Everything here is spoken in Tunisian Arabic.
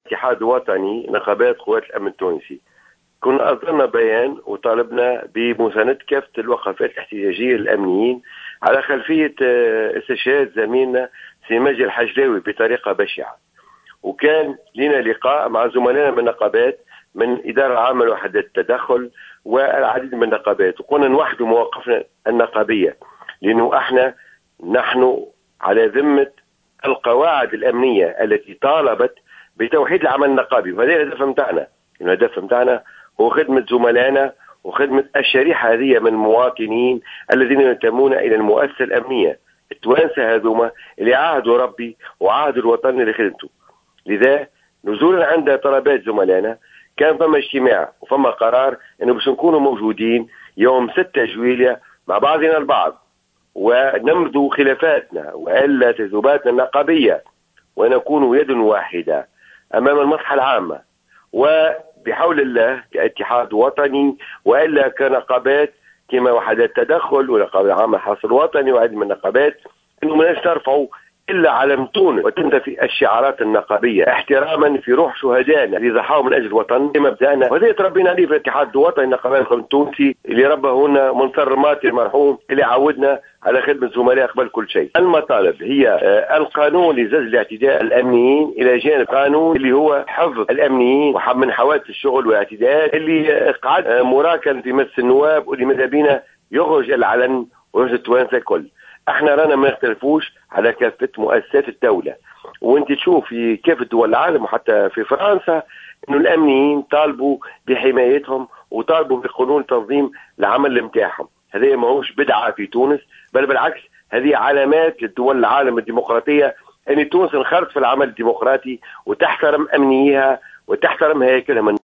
اتحاد وطني نقابات قوات الأمن التونسي كنا أصدرنا بيان وطالبنا بمساندة كافة الوقفات الاحتجاجية للأمنيين على خلفية استشهاد زميلنا سي مجدي الحجلاوي بطريقة بشعة. وكان لنا لقاء مع زملائنا من النقابات، من إدارة العامة لوحدات التدخل والعديد من النقابات، وقلنا نوحدوا مواقفنا النقابية، لأنه احنا نحن على ذمة القواعد الأمنية التي طالبت بتوحيد العمل النقابي، وهذا الهدف نتاعنا. الهدف نتاعنا هو خدمة زملائنا وخدمة الشريحة هذه من المواطنين الذين ينتمون إلى المؤسسة الأمنية، التوانسة هذوما اللي عاهدوا ربي وعاهدوا الوطن لخدمته. لذا نزولا عند طلبات زملائنا كان فما اجتماع وفما قرار انه باش نكونوا موجودين يوم 6 جويلية مع بعضنا البعض، ونمضوا خلافاتنا والا تذوباتنا النقابيه، ونكون يد واحدة امام المصلحة العامة، وبحول الله كاتحاد وطني والا كنقابات كما وحدات تدخل ونقابة العامة الحرس الوطني وعدد من النقابات، انه ما نرفعوا الا علم تونس وتنتفي الشعارات النقابيه احتراما في روح شهدائنا اللي ضحوا من اجل الوطن مبدانا، وهذا تربينا عليه في الاتحاد الوطني النقابات التونسي اللي ربه لنا منصر ماتي المرحوم اللي عودنا على خدمة زملاء قبل كل شيء. المطالب هي القانون لزج الاعتداء الامنيين، الى جانب قانون اللي هو حفظ الامنيين ومن حوادث الشغل والاعتداءات اللي قعد مراكن في مجلس النواب واللي ماذا بينا يخرج العلن ويخرج التوانسة الكل. احنا رانا ما نختلفوش على كافة مؤسسات الدولة، وانت تشوف في كافة دول العالم وحتى في فرنسا انه الامنيين طالبوا بحمايتهم وطالبوا بقانون تنظيم العمل نتاعهم. هذا ماهوش بدعة في تونس، بل بالعكس هذه علامات للدول العالم الديمقراطية ان تونس انخرطت في العمل الديمقراطي وتحترم امنيها وتحترم هياكلها.